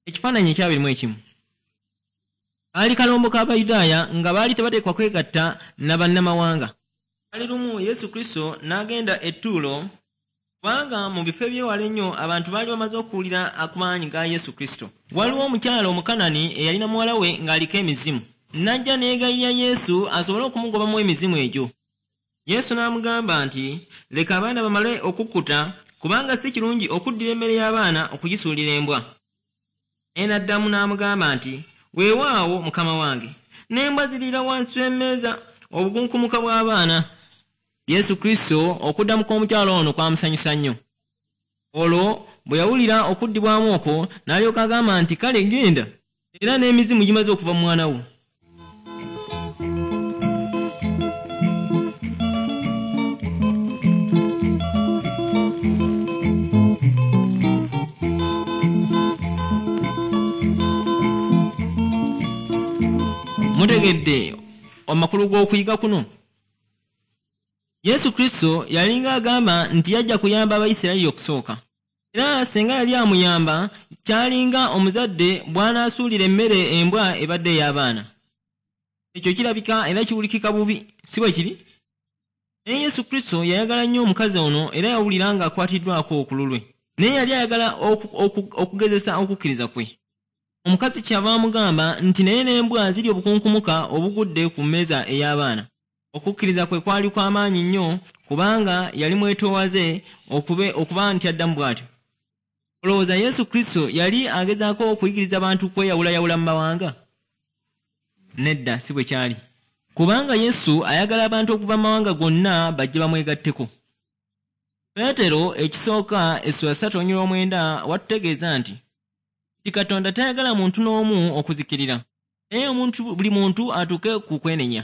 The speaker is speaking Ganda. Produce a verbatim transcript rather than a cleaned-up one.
Ekifaananyi ekyabiri mu ekimu kaali kalombo k'Abayudaaya nga baali tebateekwa kwegatta na bannamawanga. Kaali lumu Yesu Kristo n'agenda e Ttuulo, kubanga mu bifo eby'ewala ennyo abantu baali bamaze okuwulira ku maanyi ga Yesu Kristo. Waliwo omukyala Omukanani eyalina muwala we ng'aliko emizimu. N'ajja n'eegayirira Yesu asobole okumugobamu emizimu egyo. Yesu n'amugamba nti, "Leka abaana bamale okukkuta, kubanga si kirungi okuddira emmere y'abaana okugisuulira embwa." Naye n'addamu n'amugamba nti, "Weewaawo, Mukama wange, n'embwa ziriira wansi w'emmeeza obukunkumuka bw'abaana." Yesu Kristo okuddamu kw'omukyala ono kwamusanyusa nnyo. Olwo bwe yawulira okuddibwamu okwo n'alyoka agamba nti, "Kale genda, era n'emizimu gimaze okuva mu mwana wo." Mutegedde amakulu g'okuyiga kuno? Yesu Kristo yalinga agamba nti yajja kuyamba Abayisirayiri okusooka. Era singa yali amuyamba, kyalinga omuzadde bw'anaasuulira emmere embwa ebadde ey'abaana. Ekyo kirabika era kiwulikika bubi, si bwe kiri? Naye Yesu Kristo yayagala nnyo omukazi ono era yawulira ng'akwatiddwako ku lulwe. Naye yali ayagala okugezesa okukkiriza kwe. Omukazi kyava amugamba nti naye n'embwa zirya obukunkumuka obugudde ku mmeeza ey'abaana. Okukkiriza kwe kwali kwa maanyi nnyo kubanga yali mwetoowaze okuba nti addamu bw'atyo. Olowooza Yesu Kristo yali agezaako okuyigiriza abantu kweyawulayawula mu mawanga? Nedda, si bwe kyali. Kubanga Yesu ayagala abantu okuva mu mawanga gonna bajje bamwegatteko. Peetero ekisooka essula ssatu olunyiriri omwenda watutegeeza nti nti Katonda tayagala muntu n'omu okuzikirira, naye omuntu buli muntu atuuke ku kwenenya.